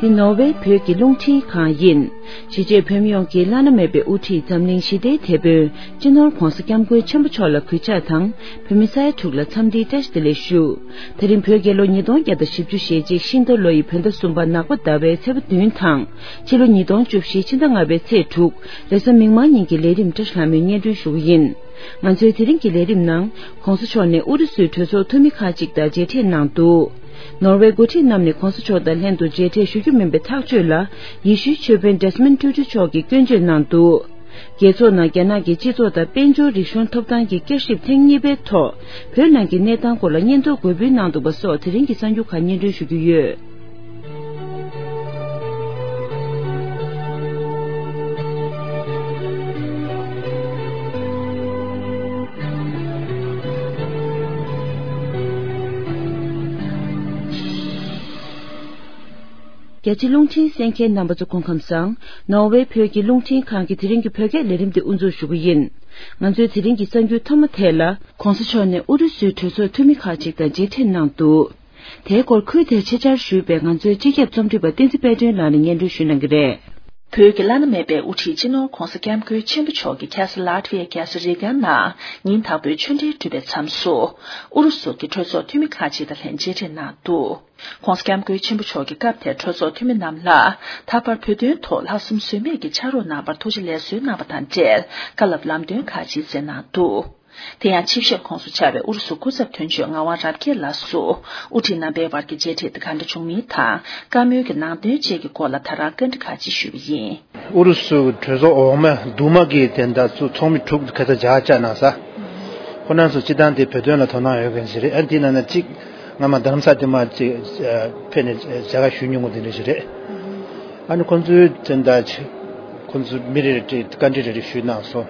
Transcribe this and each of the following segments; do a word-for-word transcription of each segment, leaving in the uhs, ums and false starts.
འདི་ནོར་ཝེ་བོད་ཀྱི་རླུང་འཕྲིན་ཁང་ཡིན། གཞིས་བྱེས་བོད་མི་ཡོངས་ཀྱི་བླ་ན་མེད་པའི་དབུ་ཁྲིད་འཛམ་གླིང་ཞི་བདེའི་དེད་དཔོན་སྤྱི་ནོར་༧གོང་ས་༧སྐྱབས་མགོན་ཆེན་པོ་མཆོག་ལ་གུས་ཕྱག་དང་། བོད་མི་ས་ཡ་དྲུག་ལ་འཚམས་འདྲིའི་བཀྲ་ཤིས་བདེ་ལེགས་ཞུ། དེ་རིང་བོད་རྒྱལ་ལོ་ཉིས་སྟོང་བརྒྱ་དང་བཞི་བཅུ་ཞེ་གཅིག་ཤིང་རྟ་ལོ་ཡི་བོད་ཟླ་གསུམ་པ་ནག་པ་ཟླ་བའི་ཚེས་པ་བདུན་དང་། ཕྱི་ལོ་ཉིས་སྟོང་བཅུ་བཞི་ཕྱི་ཟླ་ལྔ་པའི་ཚེས་དྲུག་རེས་གཟའ་མིག་དམར་ཉིན་གྱི་ལས་རིམ་བཀྲ་ཤིས་ལྷ་མོས་སྙན་སྒྲོན་ཞུ་གི་ཡིན། ང་ཚོའི་དེ་རིང་གི་ལས་རིམ་ནང་། ༸གོང་ས་མཆོག་ནས་ཨུ་རུ་སུའི་གྲོས་ཚོགས་འཐུས་མི་ཁག་ཅིག་དང་མཇལ་འཕྲད་གནང་འདུག་ནོར་ཝེ་འགོ་ཁྲིད་རྣམས་ནས་༸གོང་ས་མཆོག་དང་ལྷན་དུ་མཇལ་འཕྲད་ཞུ་རྒྱུ་མིན་པའི་ཐག་གཅོད་ལ། ཡེ་ཤུའི་ཆོས་དཔོན་ཌེ་སི་མོན་ཊུ་ཊུ་མཆོག་གིས་སྐྱོན་བརྗོད་གནང་འདུག་རྒྱལ་ཚོགས་ནང་རྒྱ་ནག་གི་སྤྱི་ཚོགས་དང་དཔལ་འབྱོར་རིག་གཞུང་ཐོབ་ཐང་གི་བསྐྱར་ཞིབ་ཐེངས་གཉིས་པའི་ཐོག་བོད་ནང་གི་གནས་སྟངས་སྐོར་ལ་སྙན་ཐོ་འགོད་འབུལ་གནང་འདུག་པ་སོགས་དེ་རིང་གི་གསར་འགྱུར་ཁག་སྙན་སྒྲོན་ཞུ་རྒྱུ་ཡོད། རྒྱ་ཆེ་རླུང་འཕྲིན་གསན་མཁན་རྣམ་པ་ཚོ་སྐུ་ཁམས་བཟང་། ནོར་ཝེ་བོད་ཀྱི་རླུང་འཕྲིན་ཁང་གི་དེ་རིང་གི་བོད་སྐད་ལས་རིམ་དེ་དབུ་འཛུགས་ཞུ་གི་ཡིན། ང་ཚོའི་དེ་རིང་གི་གསར་འགྱུར་ཐོག་མ་དེ་ལ། ༸གོང་ས་མཆོག་ནས་ཨུ་རུ་སུའི་གྲོས་ཚོགས་འཐུས་མི་ཁག་ཅིག་དང་མཇལ་འཕྲད་གནང་འདུག་དེའི་སྐོར་ཁུལ་དེར་ཆེད་བཅར་ཞུས་པའི་ང་ཚོའི་སྤྱི་ཁྱབ་རྩོམ་སྒྲིག་པ་བསྟན་འཛིན་དཔལ་སྒྲོན་ལགས་ནས་སྙན་སྒྲོན་ཞུ་གནང་གི་རེད། བོད་ཀྱི་བླ་ན་མེད་པའི་དབུ་ཁྲིད་སྤྱི་ནོར་༸གོང་ས་༸སྐྱབས་མགོན་ཆེན་པོ་མཆོག་གིས་ཁ་སང་ལ་ཏི་ཝི་ཡའི་རྒྱལ་ས་རི་ག་ནང་ཉིན་དང་པོའི་ཆོས་འབྲེལ་གྲུབ་པའི་མཚམས་སུ། ཨུ་རུ་སུ་གྱི་གྲོས་ཚོགས་འཐུས་མི་ཁག་ཅིག་དང་ལྷན་མཇལ་འཕྲད་གནང་འདུག ༸གོང་ས་༸སྐྱབས་མགོན་ཆེན་པོ་མཆོག་གིས་སྐབས་དེར་གྲོས་ཚོགས་འཐུས་མི་རྣམས་ལ། ད་བར་བོད་དོན་ཐོག་ལྷག་བསམ་ཟོལ་མེད་ཀྱི་ཕྱག་རོགས་གནང་བར་ཐུགས་རྗེ་ལེགས་གསོལ་གནང་བ་དང་འབྲེལ། བཀའ་སློབ་ལམ་སྟོན་ཁག་ཅིག་སྩལ་གནང་འདུག་དེ་ཡང་ཆིབས་ཞབས་ཁོངས་སུ་ཆགས་པའི་ཨུ་རུ་སུ་སྐུ་ཚབ་དོན་གཅོད་ངག་དབང་རབ་རྒྱས་ལགས་སུ། དབུ་ཁྲིད་རྣམ་པའི་བར་གྱི་མཇལ་འཕྲད་དེ་ག་འདྲ་བྱུང་མིན་དང་། བཀའ་མོལ་གྱི་ནང་དོན་བཅས་ཀྱི་སྐོར་ལ་ད་རང་བཀའ་འདྲི་ཁག་ཅིག་ཞུས་པ་ཡིན། ཨུ་རུ་སུ་གྲོས་ཚོགས་འོག་མ་འདུས་མ་གི་དེ་འདྲ་ཚོ་ཚོགས་མི་དྲུག་ཁ་ཚ་རྒྱ་གར་བཅར་གནང་ས། ཁོ་རང་ཚོ་སྤྱི་བཏང་དེ་བོད་དོན་ལ་དོ་སྣང་ཡོད་མཁན་ཞིག་རེད། ཨ་འདི་ནང་ན་གཅིག་སྔ་མ་རྡ་རམ་ས་དེ་མ་གཅིག་ཕེབས་ནས་མཇལ་ཁ་ཞུས་མྱོང་གི་དེ་འདྲ་ཞིག་རེད། ཨ་ནི་ཁོ་ཚོའི་དེ་འདྲ་ཁོ་ཚོ་མི་རེ་རེ་བཀའ་འདྲི་རེ་རེ་ཞུས་གནང་སོང་།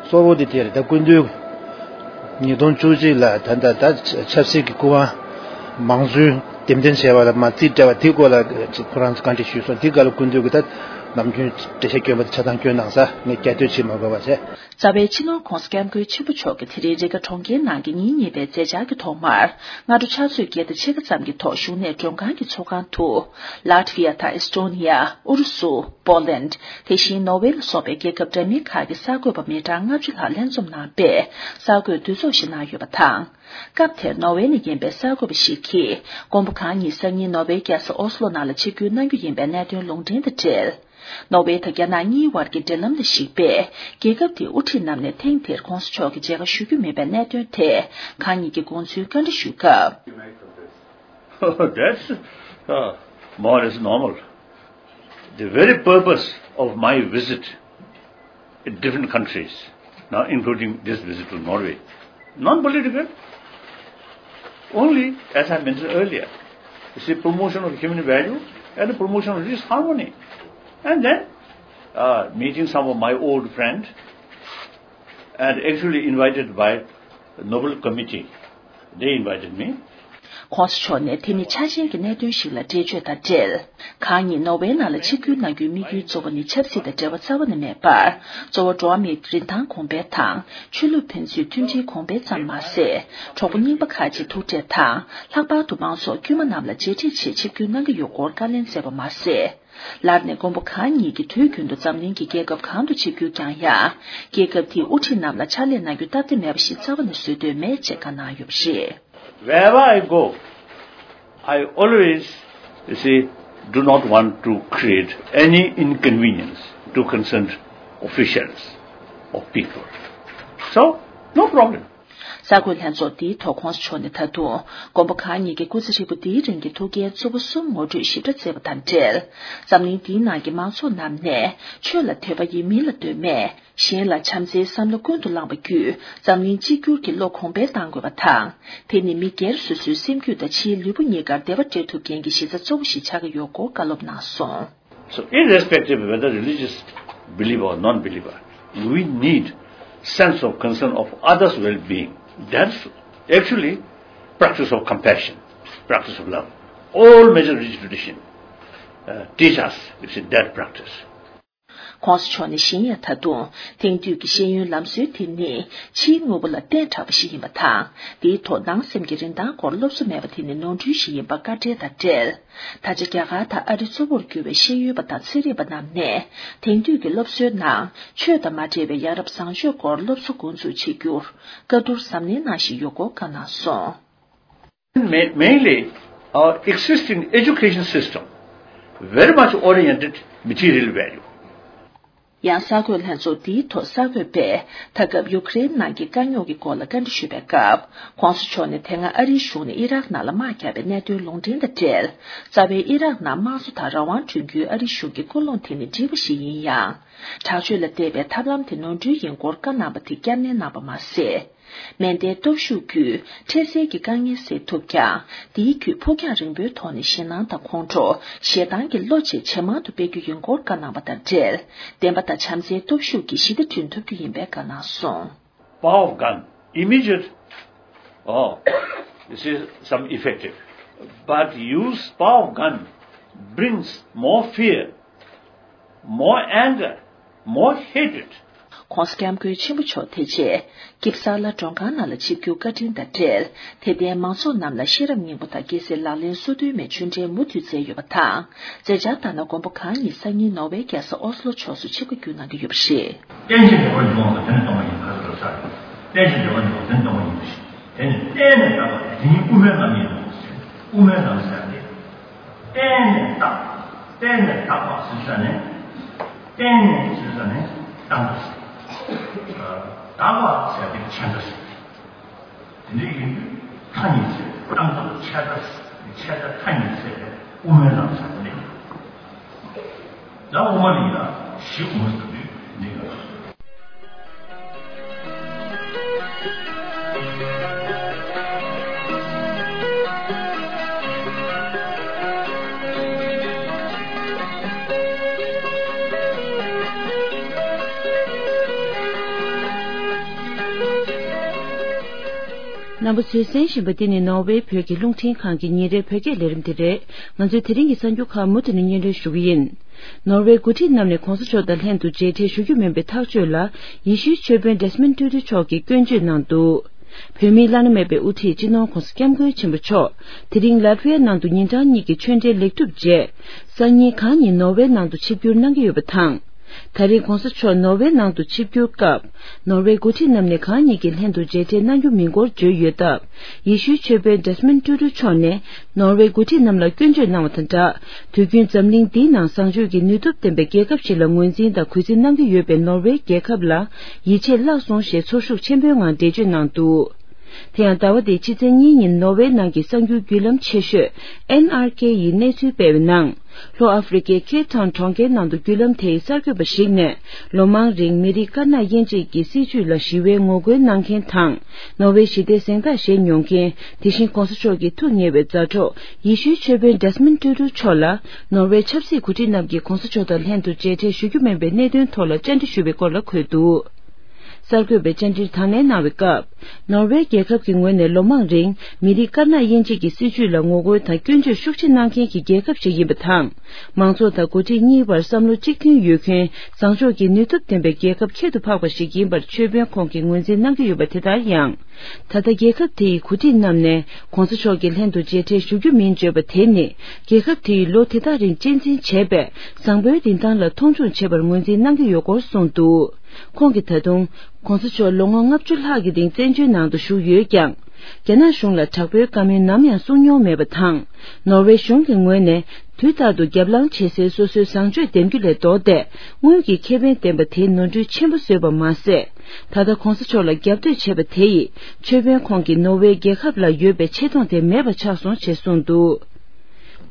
གཙོ་བོ་དེ་དེ་རེད། ད་སྐུ་མདུན་ཉིས་སྟོང་བཅུ་གཅིག་ལ་ད་ལྟ་ད་ཆབ་སྲིད་ཀྱི་སྐུ་དབང་མང་གཙོའི་འདེམས་ཐོན་བྱས་པ་ལ་མ་རྩིས་སྤྲད་པ་དེའི་སྐོར་ལ་ཁོ་རང་ཚོ་བཀའ་འདྲི་ཞུས་སོང་། དེའི་སྐབས་ལ་སྐུ་མདུན་གྱིས་ད་ནམ་རྒྱུན་འགྲེལ་བཤད་སྐྱོན་པ་དེ་ཆ་ཚང་སྐྱོན་གནང་ས་ངས་བསྐྱར་ཟློས་བྱེད་མ་དགོས་པ་བྱས། རྩ་བའི་སྤྱི་ནོར་༸གོང་ས་༸སྐྱབས་མགོན་ཆེན་པོ་མཆོག་གིས་དེ་རིང་རི་ཀ་གྲོང་ཁྱེར་ནང་གི་ཉིན་གཉིས་པའི་མཛད་འཆར་གྱི་ཐོག་མར། སྔ་དྲོ་ཕྱག་ཚོད་བརྒྱད་དང་ཕྱེད་ཀ་ཙམ་གྱི་ཐོག་བཞུགས་གནས་མགྲོན་ཁང་གི་ཚོགས་ཁང་དུ། ལ་ཏི་ཝི་ཡ་དང་ཨེས་ཏོ་ནི་ཡ། ཨུ་རུ་སུ། པོ་ལན། དེ་བཞིན་ནོར་ཝེ་ལ་སོགས་པའི་རྒྱལ་ཁབ་འདྲ་མིན་ཁག་གི་གསར་འགོད་པ་མི་གྲངས་ལྔ་བཅུ་ལྷག་ལྷན་འཛོམས་གནང་པས། གསར་འགོད་འདུ་ཚོགས་ཤིག་གནང་ཡོད་པ་དང་། སྐབས་དེར་ནོར་ཝེ་ནས་ཡིན་པའི་གསར་འགོད་པ་ཞིག་གིས། མགོན་པོ་གང་ཉིད་སང་ཉིན་ནོར་ཝེའི་རྒྱལ་ས་ཨོ་སི་ལོ་ནང་ལ་ཆིབས་བསྒྱུར་གནང་རྒྱུ་ཡིན་པའི་གནད་དོན་ལུང་འདྲེན་དང་འབྲེལ། ནོར་ཝེ་དང་རྒྱ་ནག་གཉིས་བར་གྱི་འབྲེལ་ལམ་ལ་གཞིགས་པས། རྒྱལ་ཁབ་དེའི་དབུ་ཁྲིད་རྣམས་ནས་ཐེངས་འདིར་༸གོང་ས་མཆོག་གི་མཇལ་ཁ་ཞུ་རྒྱུ་མིན་པའི་གནད་དོན་ཐད། གང་ཉིད་ཀྱིས་དགོངས་ཚུལ་བཀའ་འདྲི་ཞུས་སྐབས། That's uh, more or less normal. The very purpose of my visit in different countries, now including this visit to Norway, non-political, only, as I mentioned earlier, it's the promotion of human value and the promotion of this harmony. And then uh, meeting some of my old friends and actually invited by Nobel Committee. They invited me. ༸གོང་ས་མཆོག་ནས་དེ་ནི་འཆར་ཅན་གྱི་གནད་དོན་ཞིག་ལ་འགྲེལ་བརྗོད་དང་འབྲེལ། གང་ཉིད་ནོར་ཝེ་ནང་ལ་ཆིབས་བསྒྱུར་གནང་རྒྱུའི་དམིགས་ཡུལ་གཙོ་བོ་ནི་ཆབ་སྲིད་དང་འབྲེལ་བ་རྩ་བ་ནས་མེད་པར། གཙོ་བོ་འགྲོ་བ་མིའི་རིན་ཐང་གོང་འཕེལ་དང་། ཆོས་ལུགས་ཕན་ཚུན་མཐུན་སྒྲིལ་གོང་འཕེལ་ཙམ་མ་ཟད། གྲོགས་པོ་རྙིང་པ་ཁག་ཅིག་ཐུག་འཕྲད་དང་། ལྷག་པར་དུ་མང་ཚོགས་དཀྱུས་མ་རྣམས་ལ་མཇལ་འཕྲད་ཆེད་ཆིབས་བསྒྱུར་གནང་གི་ཡོད་སྐོར་བཀའ་ལན་སྩལ་བ་མ་ཟད། ལར་ནས་མགོན་པོ་གང་ཉིད་ཀྱིས་དུས་རྒྱུན་དུ་འཛམ་གླིང་གི་རྒྱལ་ཁབ་གང་དུ་ཆིབས་བསྒྱུར་བསྐྱངས་ཡང་། རྒྱལ་ཁབ་དེའི་དབུ་ཁྲིད་རྣམས་ལ་ཕྱག་ལས་གནང་རྒྱུ་སྟབས་བདེ་མེད་པ་ཞིག་རྩ་བ་ནས་བཟོ་འདོད་མེད་ཅེས་བཀའ་གནང་ཡོད་པ་རེད། Wherever I go, I always, you see, do not want to create any inconvenience to concerned officials or people. So, no problem. གསར་འགོད་ལྷན་ཚོགས་འདིའི་ཐོག་༸གོང་ས་མཆོག་ནས་ད་དུང་མགོན་པོ་གང་ཉིད་ཀྱི་སྐུ་ཚེ་ཧྲིལ་པོ་འདིའི་རིང་གི་ཐུགས་འགན་གཙོ་བོ་གསུམ་ངོ་སྤྲོད་ཞིབ་ཕྲ་མཛད་པ་དང་འབྲེལ། འཛམ་གླིང་འདིའི་ནང་གི་མང་ཚོགས་རྣམས་ནས་ཆོས་ལ་དད་པ་ཡིན་མིན་ལ་ལྟོས་མེད། གཞན་ལ་བྱམས་བརྩེའི་བསམ་བློ་ཀུན་ཏུ་བསླངས་པ་བརྒྱུད་འཛམ་གླིང་གཅིག་གྱུར་གྱི་བློ་གོང་འཕེལ་གཏང་དགོས་པ་དང་། དེ་ནི་མི་སྒེར་སོ་སོའི་སེམས་རྒྱུད་དང་ཕྱིའི་ལུས་པོ་གཉིས་ཀར་བདེ་བ་སྤྲད་ཐུབ་མཁན་གྱི་གཞི་རྩ་གཙོ་བོ་ཞིག་ཆགས་ཀྱི་ཡོད་སྐོར་བཀའ་སློབ་གནང་སོང་། So, irrespective of whether religious believer or non-believer, we need sense of concern of others' well-being. That's actually practice of compassion, practice of love. All major religious tradition uh, teach us, you see, that practice. ༸གོང་ས་མཆོག་ནས་གཞན་ཡང་ད་དུང་དེང་དུས་ཀྱི་ཤེས་ཡོན་ལམ་སྲོལ་དེ་ནི་ཕྱིའི་དངོས་པོ་ལ་བརྟེན་དྲགས་པ་ཞིག་ཡིན་པ་དང་། དེའི་ཐོག་ནང་སེམས་ཀྱི་རིན་ཐང་སྐོར་སློབ་གསོ་མེད་པ་དེ་ནི་ནོར་འཁྲུལ་ཞིག་ཡིན་པ་བཀའ་འགྲེལ་དང་འབྲེལ། ད་ཆ་རྒྱ་གར་དང་ཨ་རི་གཙོ་བོར་གྱུར་པའི་ཤེས་ཡོན་པ་དང་ཚན་རིག་པ་རྣམས་ནས་དེང་དུས་ཀྱི་སློབ་གསོའི་ནང་ཆོས་དང་མ་འབྲེལ་བའི་ཡ་རབས་བཟང་སྤྱོད་སྐོར་སློབ་གསོ་འགོ་འཛུགས་བྱེད་རྒྱུར་བཀའ་བསྡུར་གཟབ་ནན་གནང་བཞིན་ཡོད་སྐོར་བཀའ་གནང་སོང་། Ma- mainly, our existing education system very much oriented material value. ཡང་གསར་འགོད་ལྷན་ཚོགས་འདིའི་ཐོག་གསར་འགོད་པས་ད་སྐབས་ཡུ་ཀེ་རེན་ནང་གི་དཀའ་རྙོག་གི་སྐོར་ལ་བཀའ་འདྲི་ཞུས་པའི་སྐབས། ༸གོང་ས་མཆོག་ནས་དེ་སྔ་ཨ་རིའི་གཞུང་ནས་ཨི་རག་ནང་ལ་དམག་བརྒྱབ་པའི་གནད་དོན་ལུང་འདྲེན་དང་འབྲེལ། རྩ་བའི་ཨི་རག་ནང་དམངས་གཙོ་དང་རང་དབང་བསྐྲུན་རྒྱུའི་ཨ་རིའི་གཞུང་གི་ཀུན་སློང་དེ་ནི་འགྲིག་པ་ཞིག་ཡིན་ཡང་། དྲག་སྤྱོད་ལ་བརྟེན་པའི་ཐབས་ལམ་དེ་ནོར་འཁྲུལ་ཡིན་སྐོར་བཀའ་གནང་པ་དེ་བསྐྱར་ནན་གནང་པ་མ་ཟད། མེ་མདའི་སྟོབས་ཤུགས་བརྒྱུད་འཕྲལ་སེལ་གྱི་དཀའ་ངལ་སེལ་ཐུབ་ཀྱང་། དེའི་བརྒྱུད་ཕུགས་རྒྱང་རིང་པོའི་ཐོག་ནས་ཞེད་སྣང་དང་ཁོང་ཁྲོ། ཞེ་སྡང་གི་བློ་བཅས་ཇེ་མང་དུ་སྤེལ་རྒྱུ་ཡིན་སྐོར་བཀའ་གནང་པ་དང་འབྲེལ། བདེན་པ་དང་བྱམས་བརྩེའི་སྟོབས་ཤུགས་ཀྱིས་ཞི་བདེ་བསྐྲུན་ཐུབ་རྒྱུ་ཡིན་པའི་བཀའ་གནང་སོང་། Power of gun, immediate, oh, this is some effective. But use power of gun brings more fear, more anger, more hatred. ༸གོང་ས་༸སྐྱབས་མགོན་ཆེན་པོ་མཆོག་དེ་རྗེས་ཀིབ་སཱ་ལ་མགྲོན་ཁང་ནང་ལ་ཆིབས་བསྒྱུར་བཀའ་དྲིན་དང་འབྲེལ། དད་ལྡན་མང་ཚོགས་རྣམས་ལ་ཤེས་རབ་སྙིང་པོ་དང་རྒྱལ་སྲས་ལག་ལེན་སོ་བདུན་མའི་ཆོས་འབྲེལ་མུ་མཐུད་སྩལ་ཡོད་པ་དང་། མཛད་འཆར་ལྟར་ན་མགོན་པོ་གང་ཉིད་སང་ཉིན་ནོར་ཝེ་རྒྱལ་ས་ཨོ་སི་ལོ་ཕྱོགས་སུ་ཆིབས་ཁ་བསྒྱུར་གནང་གི་ཡོད་པ་རེད། རྟེན་ཅིང་འབྲེལ་བར་འབྱུང་བ་དེ་ནི་སྟོང་པ་ཡིན། ཁ་ཟེར་བ་ས་རེད། རྟེན་ཅིང་འབྲེལ་བར་འབྱུང་བ་དེ་ནི་སྟོང་པ་ཡིན་པ་ཞིག་དེ་ནི་བརྟེན་ནས་བཏགས་པ་དེ་ཉིད་དབུ་མའི་ལམ་ཡིན་ནོ་ཞེས། དབུ་མའི་ལམ་ཟེར་ཏེ། བརྟེན་ནས་བཏགས། བརྟེན་ནས་བཏགས་པ་ཟེར་ས་ནས། བརྟེན་ནས་ཟེར་ས་ནས་བཏགས་པ་ཟེར། བཏགས་པ་ཟེར་ཏེ་ཆད་འགྲོ་ཟེར། དེ་འདྲ་ཡིན་དུས་མཐའ་གཉིས་ཚེ་བཏང་སྟངས་ཆད་ལྟ། ཆད་ལྟ་མཐའ་གཉིས་ཚེ་དེ་དབུ་མའི་ལམ་ཟེར་བ་ནི། ད་དབུ་མ་ལ་ཡིན་ལ་གཞི་དབུ་མ་ཟེར་དུས་འདི་ག་རྣམ་པ་ཚོས་གསན་བཞིན་པ་འདི་ནི་ནོར་ཝེ་བོད་ཀྱི་རླུང་འཕྲིན་ཁང་གི་ཉིན་རེའི་བོད་སྐད་ལས་རིམ་དེ་རེད། ང་ཚོས་དེ་རིང་གི་གསར་འགྱུར་ཁག་མུ་མཐུད་ནས་སྙན་སྒྲོན་ཞུ་གི་ཡིན། ནོར་ཝེ་འགོ་ཁྲིད་རྣམས་ནས་གོང་ས་མཆོག་དང་ལྷན་དུ་མཇལ་འཕྲད་ཞུ་རྒྱུ་མིན་པའི་ཐག་གཅོད་ལ། ཡེ་ཤུའི་ཆོས་དཔོན་ཌེ་སི་མོན་ཊུ་ཊུ་མཆོག་གིས་སྐྱོན་བརྗོད་གནང་འདུག་བོད་མིའི་བླ་ན་མེད་པའི་དབུ་ཁྲིད་སྤྱི་ནོར་༸གོང་ས་༸སྐྱབས་མགོན་ཆེན་པོ་མཆོག་དེ་རིང་ལ་ཏི་ཝི་ཡ་ནང་དུ་ཉིན་གྲངས་གཉིས་ཀྱི་ཆོས་འབྲེལ་ལེགས་གྲུབ་རྗེས། སང་ཉིན་གང་ཉིན་ནོར་ཝེ་ནང་དུ་ཆིབས་བསྒྱུར་གནང་གི་ཡོད་པ་དང་། ད་རེས་གོང་ས་མཆོག་ནོར་ཝེ་ནང་དུ་ཆིབས་བསྒྱུར་སྐབས། ནོར་ཝེ་འགོ་ཁྲིད་རྣམས་ནས་གང་ཉིད་ཀྱི་ལྷན་དུ་མཇལ་འཕྲད་གནང་རྒྱུ་མིན་སྐོར་བརྗོད་ཡོད་སྟབས། ཡེ་ཤུའི་ཆོས་དཔོན་ཌེ་སི་མོན་ཊུ་ཊུ་མཆོག་ནས། ནོར་ཝེ་འགོ་ཁྲིད་རྣམས་ལ་སྐྱོན་བརྗོད་གནང་བ་དང་སྦྲགས། དུས་རྒྱུན་འཛམ་གླིང་འདིའི་ནང་བཟང་སྤྱོད་ཀྱི་ནུས་སྟོབས་ལྡན་པའི་རྒྱལ་ཁབ་ཞིག་ལ་ངོས་འཛིན་དང་གུས་བརྩི་གནང་གི་ཡོད་པའི་ནོར་ཝེ་རྒྱལ་ཁབ་ལ་ཡིད་ཆེས་བརླག་སོང་ཞེས་ཚོར་ཤུགས་ཆེན་པོའི་ངང་འགྲེལ་བརྗོད་གནང་འདུག་དེ་ཡང་ཟླ་བ་འདིའི་ཕྱི་ཚེས་གཉིས་ཉིན་ནོར་ཝེ་ནང་གི་གསར་འགྱུར་བརྒྱུད་ལམ་ཆེ་ཤོས་ཨེན་ཨར་ཁེ་ཡིས་གནས་ཚུལ་སྤེལ་བའི་ནང་། ལྷོ་ཨ་ཧྥེ་རི་ཁའི་ཁེབ་ཊའུན་གྲོང་ཁྱེར་ནང་དུ་བརྒྱུད་ལམ་དེའི་གསར་འགོད་པ་ཞིག་ནས། ལོ་མང་རིང་མི་རིགས་དཀར་ནག་དབྱེ་འབྱེད་ཀྱི་སྲིད་བྱུས་ལ་ཞི་བའི་ངོ་རྒོལ་གནང་མཁན་དང་། ནོར་ཝེ་ཞི་བདེའི་གཟེངས་རྟགས་བཞེས་མྱོང་མཁན། དེ་བཞིན་གོང་ས་མཆོག་གི་ཐུགས་ཉེ་བའི་མཛའ་གྲོགས་ཡེ་ཤུའི་ཆོས་དཔོན་ཌེ་སི་མོན་ཊུ་ཊུ་མཆོག་ལ། ནོར་ཝེ་ཆབ་སྲིད་འགོ་ཁྲིད་རྣམས་ཀྱིས་གོང་ས་མཆོག་དང་ལྷན་དུ་མཇལ་འཕྲད་ཞུ་རྒྱུ་མིན་པའི་གནད་དོན་ཐོག་ལ་བཅར་འདྲི་ཞུས་པའི་སྐོར་ལ་འཁོད་འདུག་གསར་འགོད་པས་བཅར་འདྲིར་དང་ལེན་གནང་བའི་སྐབས། ནོར་ཝེ་རྒྱལ་ཁབ་ཀྱི་ངོས་ནས་ལོ་མང་རིང་མི་རིགས་དཀར་ནག་དབྱེ་འབྱེད་ཀྱི་སྲིད་བྱུས་ལ་ངོ་རྒོལ་དང་སྐྱོན་བརྗོད་ཤུགས་ཆེ་གནང་མཁན་གྱི་རྒྱལ་ཁབ་ཞིག་ཡིན་པ་དང་། མང་ཚོགས་དང་འགོ་ཁྲིད་གཉིས་བར་བསམ་བློ་གཅིག་མཐུན་ཡོད་མཁན་བཟང་ཕྱོགས་ཀྱི་ནུས་སྟོབས་ལྡན་པའི་རྒྱལ་ཁབ་ཁྱད་དུ་འཕགས་པ་ཞིག་ཡིན་པར་ཆོས་དཔོན་ཁོང་གིས་ངོས་འཛིན་གནང་གི་ཡོད་པ་དེ་ལྟར་ཡང་། ད་ལྟ་རྒྱལ་ཁབ་དེ་ཡི་འགོ་ཁྲིད་རྣམས་ནས་གོང་ས་མཆོག་གི་ལྷན་དུ་མཇལ་འཕྲད་ཞུ་རྒྱུ་མིན་བརྗོད་པ་དེ་ནི། རྒྱལ་ཁབ་དེ་ཡིས་ལོ་དེ་དག་རིང་གཅེས་འཛིན་བྱས་པའི་བཟང་པོའི་རིན་ཐང་ལ་མཐོང་ཆུང་བྱེད་པར་ངོས་འཛིན་གནང་གི་ཡོད་སྐོར་གསུངས་འདུག་ཁོང་གིས་ད་དུང་། གོང་ས་མཆོག་ལོ་ངོ་ལྔ་བཅུ་ལྷག་གི་རིང་བཙན་བྱོལ་ནང་དུ་བཞུགས་ཡོད་ཀྱང་། རྒྱ་ནག་གཞུང་ལ་དྲག་པོའི་བཀའ་མོལ་ནམ་ཡང་གསུང་མྱོང་མེད་པ་དང་། ནོར་ཝེ་གཞུང་གི་ངོས་ནས་དུས་རྟག་ཏུ་རྒྱབ་ལངས་བྱེད་སའི་སོ་སོའི་བཟང་སྤྱོད་འདེམས་རྒྱུ་ལས་ལྡོག་སྟེ། དངུལ་གྱི་ཁེ་ཕན་ལྡན་པ་དེའི་ནོར་འཁྲུལ་ཆེན་པོ་བཟོས་པ་མ་ཟད། ད་ལྟ་གོང་ས་མཆོག་ལ་རྒྱབ་གཏོད་བྱས་པ་དེ་ཡིས་ཆོས་དཔོན་ཁོང་གིས་ནོར་ཝེ་རྒྱལ་ཁབ་ལ་ཡོད་པའི་ཆེ་མཐོང་དེ་མེད་པ་ཆགས་སོང་ཞེས་གསུངས་འདུག་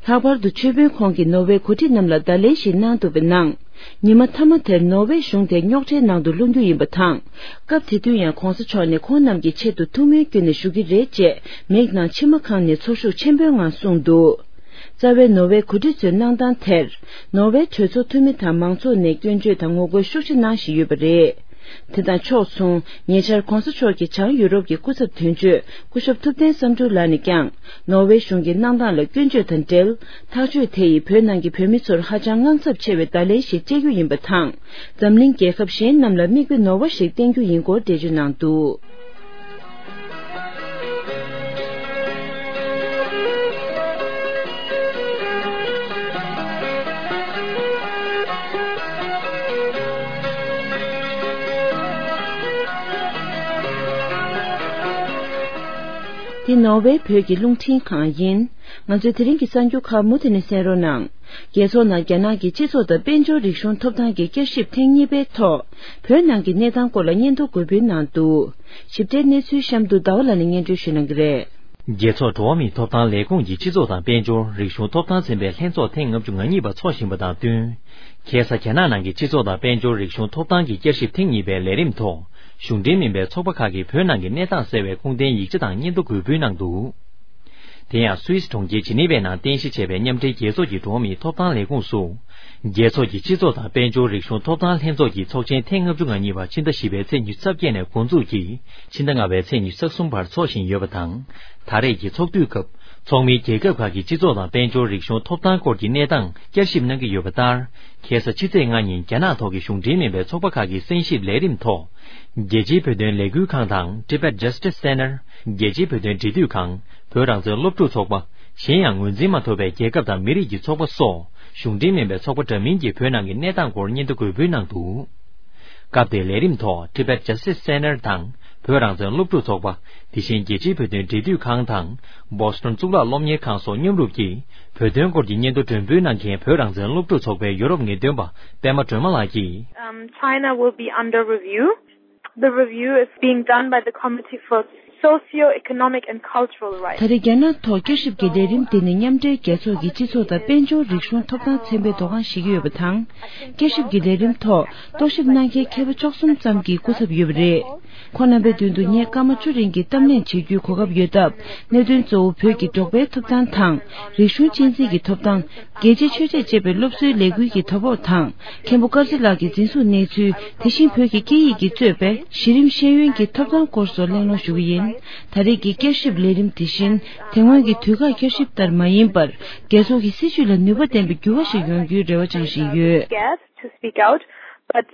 ལྷག་པར་དུ་ཆོས་དཔོན་ཁོང་གིས་ནོར་ཝེ་འགོ་ཁྲིད་རྣམས་ལ་བརྡ་ལན་ཞིག་གནང་འདུག་པའི་ནང་། ཉི་མ་མཐའ་མ་དེར་ནོར་ཝེ་གཞུང་དེ་རྙོག་ཁྲའི་ནང་དུ་ལྷུང་རྒྱུ་ཡིན་པ་དང་། སྐབས་དེ་དུས་ཡང་གོང་ས་མཆོག་ནས་ཁོང་རྣམས་ཀྱི་ཆེད་དུ་ཐུགས་སྨོན་བསྐྱོན་ནས་བཞུགས་ཀྱི་རེད་ཅེས་མིག་ནང་མཆི་མ་གང་ནས་ཚོར་ཤུགས་ཆེན་པོའི་ངང་གསུངས་འདུག་རྩ་བའི་ནོར་ཝེ་འགོ་ཁྲིད་ཚོའི་གནང་སྟངས་དེར། ནོར་ཝེ་གྲོས་ཚོགས་འཐུས་མི་དང་མང་ཚོགས་ནས་སྐྱོན་བརྗོད་དང་ངོ་རྒོལ་ཤུགས་ཆེ་གནང་བཞིན་ཡོད་པ་རེད། དེ་དང་ཕྱོགས་མཚུངས། ཉེ་ཆར་གོང་ས་མཆོག་གིས་བྱང་ཡུ་རོབ་ཀྱི་སྐུ་ཚབ་དོན་གཅོད་སྐུ་ཞབས་ཐུབ་བསྟན་བསམ་འགྲུབ་ལགས་ནས་ཀྱང་ནོར་ཝེ་གཞུང་གི་གནང་སྟངས་ལ་སྐྱོན་བརྗོད་དང་འབྲེལ། ཐག་གཅོད་དེ་ཡིས་བོད་ནང་གི་བོད་མི་ཚོར་ཧ་ཅང་དངངས་འཚབ་ཆེ་བའི་བརྡ་ལན་ཞིག་སྤྲད་རྒྱུ་ཡིན་པ་དང་། འཛམ་གླིང་རྒྱལ་ཁབ་གཞན་རྣམས་ལ་མིག་དཔེ་ནོར་བ་ཞིག་བསྟན་རྒྱུ་ཡིན་སྐོར་འགྲེལ་བརྗོད་གནང་འདུག། འདི་ནོར་ཝེ་བོད་ཀྱི་རླུང་འཕྲིན་ཁང་ཡིན། ང་ཚོའི་དེ་རིང་གི་གསར་འགྱུར་ཁག་མུ་མཐུད་ནས་གསན་རོགས་གནང་། རྒྱལ་ཚོགས་ནང་རྒྱ་ནག་གི་སྤྱི་ཚོགས་དང་དཔལ་འབྱོར་རིག་གཞུང་ཐོབ་ཐང་གི་བསྐྱར་ཞིབ་ཐེངས་གཉིས་པའི་ཐོག་བོད་ནང་གི་གནས་སྟངས་སྐོར་ལ་སྙན་ཐོ་འགོད་འབུལ་གནང་འདུག། ཞིབ་ཕྲའི་གནས་ཚུལ་གཤམ་དུ་ཟླ་བ་ལགས་ནས་སྙན་སྒྲོན་ཞུ་གནང་གི་རེད། རྒྱལ་ཚོགས་འགྲོ་བ་མིའི་ཐོབ་ཐང་ལས་ཁུངས་ཀྱི་སྤྱི་ཚོགས་དང་དཔལ་འབྱོར་རིག་གཞུང་ཐོབ་ཐང་ཚན་པའི་ལྷན་ཚོགས་ཐེངས་ལྔ་བཅུ་ང་གཉིས་པ་འཚོགས་བཞིན་པ་དང་བསྟུན། ཁ་སང་རྒྱ་ནག་ནང་གི་སྤྱི་ཚོགས་དང་དཔལ་འབྱོར་རིག་གཞུང་ཐོབ་ཐང་གི་བསྐྱར་ཞིབ་ཐེངས་གཉིས་པའི་ལས་རིམ་ཐོག་གཞུང་འབྲེལ་མིན་པའི་ཚོགས་པ་ཁག་གིས་བོད་ནང་གི་གནས་སྟངས་གསལ་བའི་ཁུངས་ལྡན་ཡིག་ཆ་དང་སྙན་ཐོ་འགོད་འབུལ་གནང་འདུག། དེ་ཡང་སུད་སི་གྲོང་ཁྱེར་ཇི་ནི་ཝའི་ནང་རྟེན་གཞི་བྱས་པའི་མཉམ་འབྲེལ་རྒྱལ་ཚོགས་ཀྱི་འགྲོ་བ་མིའི་ཐོབ་ཐང་ལས་ཁུངས་སུ། རྒྱལ་ཚོགས་ཀྱི་སྤྱི་ཚོགས་དང་དཔལ་འབྱོར་རིག་གཞུང་ཐོབ་ཐང་ལྷན་ཚོགས་ཀྱི་ཚོགས་ཆེན་ཐེངས་ལྔ་བཅུ་ང་གཉིས་པ་ཕྱི་ཟླ་བཞི་པའི་ཚེས་ཉི་ཤུ་རྩ་བརྒྱད་ནས་འགོ་འཛུགས་ཀྱིས་ཕྱི་ཟླ་ལྔ་པའི་ཚེས་ཉི་ཤུ་རྩ་གསུམ་བར་འཚོགས་བཞིན་ཡོད་པ་དང་། ད་རེས་ཀྱི་ཚོགས་དུས་སྐབས་ཚོགས་མིའི་རྒྱལ་ཁབ་ཁག་གི་སྤྱི་ཚོགས་དང་དཔལ་འབྱོར་རིག་གཞུང་ཐོབ་ཐང་སྐོར་གྱི་གནས་སྟངས་བསྐྱར་ཞིབ་གནང་གི་ཡོད་པ་ལྟར། ཁ་སང་ཕྱི་ཚེས་ལྔ་ཉིན་རྒྱ་ནག་ཐོག་གི་གཞུང་འབྲེལ་མིན་པའི་ཚོགས་པ་ཁག་གི་གསན་ཞིབ་ལས་རིམ་ཐོག་རྒྱལ་སྤྱིའི་བོད་དོན་ལས་འགུལ་ཁང་དང་Tibet Justice Center། རྒྱལ་སྤྱིའི་བོད་དོན་འབྲེལ་མཐུད་ཁང་། བོད་རང་བཙན་སློབ་ཕྲུག་ཚོགས་པ། གཞན་ཡང་ངོས་འཛིན་མ་ཐོབ་པའི་རྒྱལ་ཁབ་དང་མི་རིགས་ཀྱི་ཚོགས་པ་སོགས་གཞུང་འབྲེལ་མིན་པའི་ཚོགས་པ་འདྲ་མིན་གྱིས་བོད་ནང་གི་གནས་སྟངས་སྐོར་སྙན་ཐོ་འགོད་འབུལ་གནང་འདུག། སྐབས་དེའི་ལས་རིམ་ཐོག་Tibet Justice Center་དང་བོད་རང་བཙན་སློབ་ཕྲུག་ཚོགས་པ། དེ་བཞིན་རྒྱལ་སྤྱིའི་བོད་དོན་འབྲེལ་མཐུད་ཁང་དང་Boston་གཙུག་ལག་སློབ་གཉེར་ཁང་སོགས་མཉམ་རུབ་ཀྱིས་བོད་དོན་སྐོར་གྱི་སྙན་ཐོ་སྒྲོན་འབུལ་གནང་མཁན་བོད་རང་བཙན་སློབ་ཕྲུག་ཚོགས་པའི་ཡོ་རོབ་ངེས་སྟོན་པ་པད་མ་སྒྲོལ་མ་ལགས་ཀྱིས། Um, China will be under review. The review is being done by the Committee for Socio-Economic and Cultural Rights. ད་རེས་རྒྱ་ནག་ཐོག་བསྐྱར་ཞིབ་ཀྱི་ལས་རིམ་དེ་ནི་མཉམ་འབྲེལ་རྒྱལ་ཚོགས་ཀྱི་སྤྱི་ཚོགས་དང་དཔལ་འབྱོར་རིག་གཞུང་ཐོབ་ཐང་ཚན་པས་དོ་སྣང་བྱེད་ཀྱི་ཡོད་པ་དང་། བསྐྱར་ཞིབ་ཀྱི་ལས་རིམ་ཐོག་རྟོག་ཞིབ་གནང་མཁན་མཁས་པ་བཅུ་གསུམ་ཙམ་གྱི་སྐུ་ཚབ་ཡོད་པ་རེད། ཁོང་རྣམ་པའི་མདུན་དུ་ངས་སྐར་མ་བཅུ་རིང་གི་གཏམ་གླེང་བྱེད་རྒྱུའི་གོ་སྐབས་ཡོད་སྟབས། གནད་དོན་གཙོ་བོ་བོད་ཀྱི་འབྲོག་པའི་ཐོབ་ཐང་དང་། རིག་གཞུང་གཅེས་འཛིན་གྱི་ཐོབ་ཐང་། རྒྱལ་གཅེས་ཆོས་གཅེས་ཅེས་པའི་སློབ་གསོའི་ལས་འགུལ་གྱི་དོ་ཕོག་དང་། མཁན་པོ་དཀར་ཚེ་ལགས་ཀྱི་འཛིན་བཟུང་གནས་ཚུལ། དེ་བཞིན་བོད་ཀྱི་སྐད་ཡིག་གིས་གཙོས་པའི་གཞི་རིམ་ཤེས་ཡོན་གྱི་ཐོབ་ཐང་སྐོར་སོགས་གླེང་སློང་ཞུ་གི་ཡིན། ད་རེས་ཀྱི་བསྐྱར་ཞིབ་ལས་རིམ་དེ་བཞིན། དེ་སྔོན་གྱི་དུས་བཀག་བསྐྱར་ཞིབ་ལྟར་མ་ཡིན་པར། རྒྱལ་ཚོགས་ཀྱི་སྲིད་བྱུས་ལ་ནུས་པ་ལྡན་པའི་འགྱུར་བ་ཞིག་ཡོང་རྒྱུའི་རེ་བ་བཅངས་བཞིན་ཡོད། Scared to speak out, but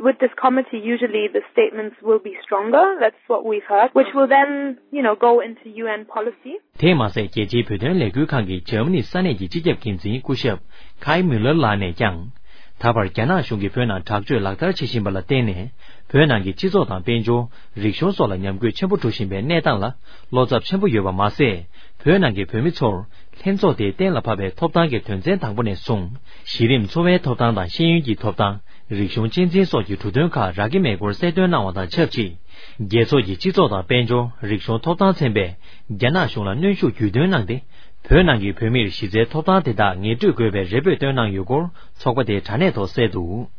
with this committee, usually the statements will be stronger. That's what we've heard, which will then, you know, go into U N policy. དེས་མ་ཟད། རྒྱལ་སྤྱིའི་བོད་དོན་ལས་འགུལ་ཁང་གི་འཇར་མ་ནི་ས་གནས་ཀྱི་སྤྱི་ཁྱབ་འགན་འཛིན་སྐུ་ཞབས་ཁའི་མིའུ་ལར་ལགས་ནས་ཀྱང་། ད་བར་རྒྱ་ནག་གཞུང་གིས་བོད་ནང་དྲག་སྤྱོད་ལག་བསྟར་བྱེད་བཞིན་པ་ལ་བརྟེན་ནས། བོད་ནང་གི་སྤྱི་ཚོགས་དང་དཔལ་འབྱོར། རིག་གཞུང་སོགས་ལ་ཉམས་རྒུད་ཆེན་པོ་འགྲོ་བཞིན་པའི་གནས་སྟངས་ལ་བློ་འཚབ་ཆེན་པོ་ཡོད་པ་མ་ཟད། བོད་ནང་གི་བོད་མི་ཚོར་ལྷན་ཚོགས་དེས་གཏན་ལ་ཕབ་པའི་ཐོབ་ཐང་གི་དོན་ཚན་དང་པོ་ནས་བཟུང་། གཞི་རིམ་འཚོ་བའི་ཐོབ་ཐང་དང་ཤེས་ཡོན་གྱི་ཐོབ་ཐང་། རིག་གཞུང་གཅེས་འཛིན་སོགས་ཀྱི་འབྲུ་དོན་ཁག་རག་གི་མེད་སྐོར་གསལ་སྟོན་གནང་བ་དང་ཆབས་ཅིག་རྒྱལ་ཚོགས་ཀྱི་སྤྱི་ཚོགས་དང་དཔལ་འབྱོར། རིག་གཞུང་ཐོབ་ཐང་ཚན་པས་རྒྱ་ནག་གཞུང་ལ་གནོན་ཤུགས་རྒྱུན་སྟོན་གནང་སྟེ། བོད་ནང་གི་བོད་མིར་གཞི་རྩའི་ཐོབ་ཐང་དེ་དག་ངེས་སྤྲོད་དགོས་པའི་རེ་འབོད་བཏོན་གནང་ཡོད་སྐོར་ཚོགས་པ་དེའི་དྲ་གནས་ཐོག་གསལ་འདུག་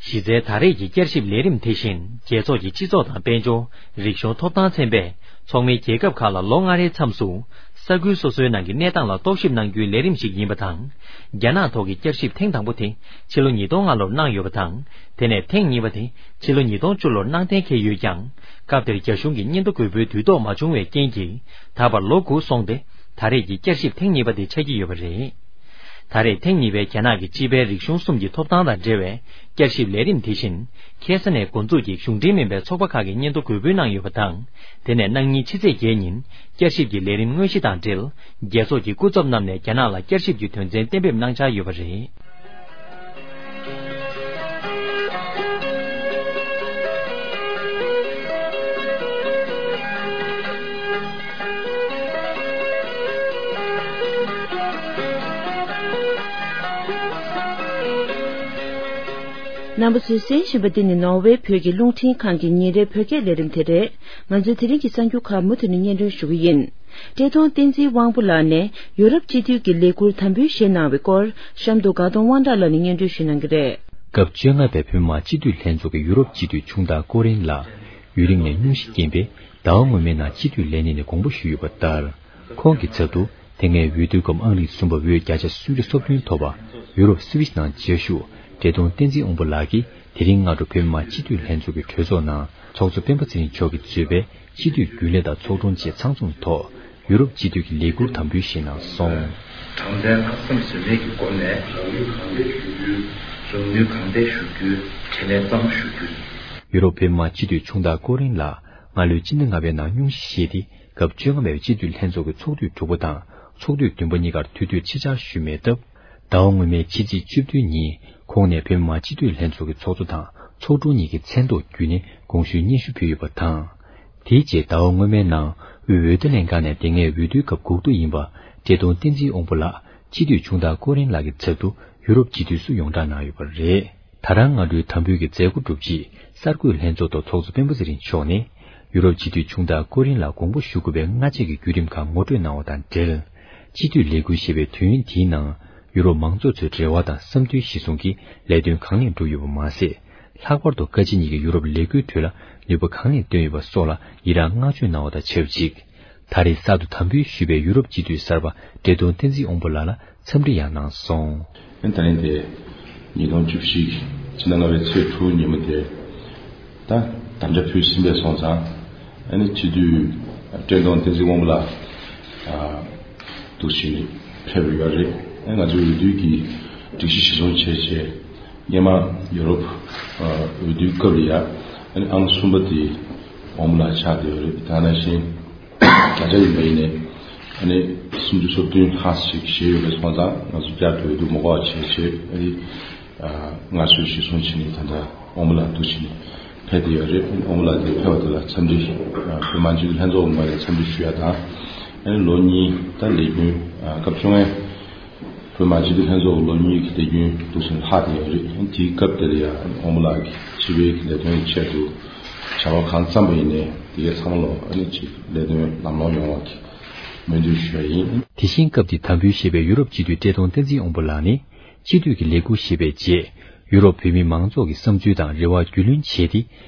གཞི་རྩའི་ད་རེས་ཀྱི་བསྐྱར་ཞིབ་ལས་རིམ་དེ་བཞིན་རྒྱལ་ཚོགས་ཀྱི་སྤྱི་ཚོགས་དང་དཔལ་འབྱོར། རིག་གཞུང་ཐོབ་ཐང་ཚན་པས་ཚོགས་མིའི་རྒྱལ་ཁབ་ཁག་ལ་ལོ་ལྔ་རེའི་མཚམས་སུ་ས་ཁུལ་སོ་སོའི་ནང་གི་གནས་སྟངས་ལ་རྟོག་ཞིབ་གནང་རྒྱུའི་ལས་རིམ་ཞིག་ཡིན་པ་དང་། རྒྱ་ནག་ཐོག་གི་བསྐྱར་ཞིབ་ཐེངས་དང་པོ་དེ་ཕྱི་ལོ་ཉིས་སྟོང་ལྔ་ལོར་གནང་ཡོད་པ་དང་། དེ་ནས་ཐེངས་གཉིས་པ་དེ་ཕྱི་ལོ་ཉིས་སྟོང་བཅུ་ལོར་གནང་གཏན་འཁེལ་ཡོད་ཀྱང་། སྐབས་དེར་རྒྱ་གཞུང་གི་སྙན་ཐོ་འགོད་པའི་དུས་ཐོག་མ་བྱུང་བའི་རྐྱེན་གྱིས་ད་བར་ལོ་དགུ་སོང་སྟེ། ད་རེས་ཀྱི་བསྐྱར་ཞིབ་ཐེངས་གཉིས་པ་དེ་ཆགས་ཀྱི་ཡོད་པ་རེད། ད་རེས་ཐེངས་གཉིས་པའི་རྒྱ་ནག་གི་སྤྱི་པའི་རིག་གཞུང་གསུམ་གྱི་ཐོབ་ཐང་དང་འབྲེལ་བའི་བསྐྱར་ཞིབ་ལས་རིམ་དེ་བཞིན་ཁ་ས་ནས་འགོ་འཛུགས་ཀྱིས་གཞུང་འབྲེལ་མིན་པའི་ཚོགས་པ་ཁག་གིས་སྙན་ཐོ་འགོད་འབུལ་གནང་ཡོད་པ་དང་། དེ་ནས་གནངས་ཉིན་ཕྱི་ཚེས་བརྒྱད་ཉིན་བསྐྱར་ཞིབ་ཀྱི་ལས་རིམ་དངོས་གཞི་དང་འབྲེལ། རྒྱལ་ཚོགས་ཀྱི་སྐུ་ཚབ་རྣམས་ནས་རྒྱ་ནག་ལ་བསྐྱར་ཞིབ་ཀྱི་དོན་ཚན་གཏན་འབེབས་གནང་འཆར་ཡོད་པ་རེད། རྣམ་པ་ཚོས་གསན་བཞིན་པ་འདི་ནི་ནོར་ཝེ་བོད་ཀྱི་རླུང་འཕྲིན་ཁང་གི་ཉིན་རེའི་བོད་སྐད་ལས་རིམ་དེ་རེད། ང་ཚོའི་དེ་རིང་གི་གསར་འགྱུར་ཁག་མུ་མཐུད་ནས་སྙན་སྒྲོན་ཞུ་གི་ཡིན། བཀྲས་མཐོང་བསྟན་འཛིན་དབང་པོ་ལགས་ནས་ཡུ་རོབ་སྤྱི་འཐུས་ཀྱི་ལས་ཁུར་དམ་འབུལ་བཞེས་གནང་བའི་སྐོར། གཤམ་དུ་དགའ་གདོང་དབང་གྲགས་ལགས་ནས་སྙན་སྒྲོན་ཞུ་གནང་གི་རེད། སྐབས་བཅོ་ལྔ་པའི་བོད་མི་མང་སྤྱི་འཐུས་ལྷན་ཚོགས་ཀྱི་ཡུ་རོབ་སྤྱི་འཐུས་ཆུང་བདག་ཀོ་རིན་ལགས་ཡུན་རིང་ནས་སྙུང་གཞི་རྐྱེན་པས་ཟླ་བ་སྔོན་མའི་ནང་སྤྱི་འཐུས་ལས་གནས་ནས་དགོངས་པ་ཞུས་ཡོད་པ་ལྟར། ཁོང་གི་ཚབ་ཏུ་དེ་སྔའི་འོས་བསྡུའི་སྐབས་ཨང་རིམ་གསུམ་པ་འོས་བརྒྱ་ཆ་སུམ་ཅུ་སོ་བདུན་ཐོབ་པ་ཡུ་རོབ་སི་ཝིས་ནང་བཅའ་བཞུགས་བཀྲས་མཐོང་བསྟན་འཛིན་དབང་པོ་ལགས་ཀྱིས་ དེ་རིང་སྔ་དྲོ་བོད་མི་མང་སྤྱི་འཐུས་ལྷན་ཚོགས་ཀྱི་གྲོས་ཚོགས་ནང་ཚོགས་གཙོ་སྤེན་པ་ཚེ་རིང་མཆོག་གིས་གཙོས་པའི་སྤྱི་འཐུས་རྒྱུན་ལས་དང་ཚོགས་དྲུང་བཅས་ཚང་འཛོམས་ཐོག་ཡུ་རོབ་སྤྱི་འཐུས་ཀྱི་ལས་འཁུར་དམ་འབུལ་ཞུས་གནང་སོང་། དྲང་བདེན་ལྷག་བསམ་ཟོལ་མེད་ཀྱི་སྒོ་ནས་རང་ནུས་གང་ལེགས་ཞུ་རྒྱུའི་རང་ནུས་གང་ལེགས་ཞུ་རྒྱུའི་དྲིན་ལན་གཙང་མ་ཞུ་རྒྱུ། ཡུ་རོབ་བོད་མི་མང་སྤྱི་འཐུས་ཆུང་བདག་ཀོ་རིན་ལགས་སྔ་ལོའི་སྤྱི་ཟླ་ལྔ་པའི་ནང་སྙུང་གཞི་བཞེས་ཏེ་སྐབས་བཅོ་ལྔ་པའི་སྤྱི་འཐུས་ལྷན་ཚོགས་ཀྱི་ཚོགས་དུས་དྲུག་པ་དང་ཚོགས་དུས་བདུན་པ་གཉིས་ཀར་དུས་ཚོད་ཕྱེད་བཅར་ཞུས་མེད་སྟབས། ཟླ་བ་སྔོན་མའི་ཕྱི་ཚེས་བཅུ་བདུན་ཉིན་ཁོང་ནས་བོད་མི་མང་སྤྱི་འཐུས་ལྷན་ཚོགས་ཀྱི་ཚོགས་གཙོ་དང་ཚོགས་དྲུང་གཉིས་ཀྱི་མཚན་ཐོག་བརྒྱུད་ནས་དགོངས་ཞུའི་སྙན་ཞུ་ཕུལ་ཡོད་པ་དང་། དེའི་རྗེས་ཟླ་བ་སྔོན་མའི་ནང་དབུས་འོས་བསྡུ་ལྷན་ཁང་ནས་དེ་སྔའི་འོས་བསྡུའི་སྐབས་འགོག་ཐབས་ཡིན་པ་བཀྲས་མཐོང་བསྟན་འཛིན་དབང་པོ་ལགས་སྤྱི་འཐུས་ཆུང་བདག་ཀོ་རིན་ལགས་ཀྱི་ཚབ་ཏུ་ཡུ་རོབ་སྤྱི་འཐུས་སུ་ཡོངས་གྲགས་གནང་ཡོད་པ་རེད། ད་རང་སྔ་དྲོའི་དམ་འབུལ་གྱི་མཛད་སྒོ་གྲུབ་རྗེས་གསར་འགོད་ལྷན་ཚོགས་ཐོག་ཚོགས་གཙོ་སྤེན་པ་ཚེ་རིང་མཆོག་ནས་ཡུ་རོབ་སྤྱི་འཐུས་ཆུང་བདག་ཀོ་རིན་ལ་དགོངས་པ་ཞུ་དགོས་པའི་སྔ་རྗེས་ཀྱི་བརྒྱུད་རིམ་ཁག་ངོ་སྤྲོད་གནང་བ་དང་འབྲེལ། སྤྱི་འཐུས་ལས་འཁུར་ཞེས་པའི་དུས་ཡུན་འདིའི་ནང་ཡུ་རོབ་མང་ཚོགས་ཚོའི་རེ་བ་དང་བསམ་འདུན་གཞིར་བཟུང་གིས་ལས་དོན་གང་ལེགས་འགྲུབ་ཡོད་པ་མ་ཟད། ལྷག་པར་དུ་བཀའ་སྤྱི་གཉིས་ཀྱིས་ཡུ་རོབ་ལས་འགུལ་ཁྲོད་ལ་ནུས་པ་གང་ལེགས་བཏོན་ཡོད་པ་སོགས་ལ་ཡི་རངས་བསྔགས་བརྗོད་གནང་བ་དང་ཆབས་ཅིག་ད་རེས་གསར་དུ་དམ་འབུལ་ཞུས་པའི་ཡུ་རོབ་སྤྱི་འཐུས་གསར་པ་བཀྲས་མཐོང་བསྟན་འཛིན་དབང་པོ་ལགས་ལ་འཚམས་འདྲི་ཡང་གནང་སོང་། ཨ་ནི་ད་རིང་དེ་ཉིས་སྟོང་བཅུ་བཞི་ཕྱི་ཟླ་ལྔ་པའི་ཚེས་དྲུག་ཉིན་མོ་དེ་ད་དམ་བཅའ་ཕུལ་ཟིན་པའི་སོང་ཙང་ཨ་ནི་སྤྱི་འཐུས་བཀྲས་མཐོང་བསྟན་འཛིན་དབང་པོ་ལགས་ཨ་འདུག་ཕྱིན་ནས་ཕེབས་ཡོད་རེད། ཨ་ནི་ང་ཚོའི་འོས་བསྡུ་གི་སྒྲིག་གཞི་གཞིར་བཟུང་བྱས་བྱས་སྔོན་མ་ཡུ་རོབ་ཨ་འོས་བསྡུའི་སྐབས་ལ་ཡ་ཨ་ནི་ཨང་གསུམ་པ་དེ་དབང་པོ་ལགས་ཆགས་བསྡད་ཡོད་རེད། ད་ནང་བཞིན། བརྒྱ་ཆ་ཡིན་པ་ཡིན་ནའི་ཨ་ནི་སུམ་ཅུ་སོ་བདུན་ལྷག་ཞིག་བཞེས་ཡོད་པའི་སོང་ཙང་ང་ཚོ་བསྐྱར་དུ་འོས་བསྡུ་མ་དགོས་པ་བྱས་བྱས་ཨ་ནི་ཨ་སྔར་སྲོལ་གཞིར་བཟུང་བྱས་ནས་ད་ལྟ་དབང་པོ་ལགས་འདུག་བྱས་ནས་ཕེབས་བསྡད་ཡོད་རེད། དབང་པོ་ལགས་དེ་ཕེབས་པ་དེ་ལ་འཚམས་འདྲི་ཨ་བོད་མི་མང་སྤྱི་འཐུས་ལྷན་ཚོགས་ངོས་ནས་འཚམས་འདྲི་ཞུ་ཡ་དང་ཨ་ནི་ལོ་གཉིས་ད་ལས་རྒྱུན་ཨ་སྐབས་བཅོ་ལྔའི་བོད་མི་མང་སྤྱི་འཐུས་ལྷན་ཚོགས་ལོ་གཉིས་ཀྱི་ལས་རྒྱུན་འདུག་སེ་ལྷག་བསྡད་ཡོད་རེད། དེའི་སྐབས་དེ་ལ་ཡང་དབང་པོ་ལགས་ཀྱིས་སྤྱི་པའི་ལས་དོན་གྱི་ཆེད་དུ་བྱ་བ་གང་བརྩམས་པ་ཡིན་ནའི་དེ་གའི་ཚང་མ་ལ་ཨ་ནི་ཅིག་ལས་དོན་ལམ་ལྷོང་ཡོང་བ་གི་སྨོན་འདུན་ཞུ་བ་ཡིན། དེ་བཞིན་སྐབས་དེའི་དམ་འབུལ་བཞེས་པའི་ཡུ་རོབ་སྤྱི་འཐུས་བཀྲས་མཐོང་བསྟན་འཛིན་དབང་པོ་ལགས་ནི་སྤྱི་འཐུས་ཀྱི་ལས་འཁུར་བཞེས་པའི་རྗེས་ཡུ་རོབ་བོད་མི་མང་ཚོགས་ཀྱི་བསམ་ཚུལ་དང་རེ་བ་རྒྱུས་ལོན་བྱས་ཏེ་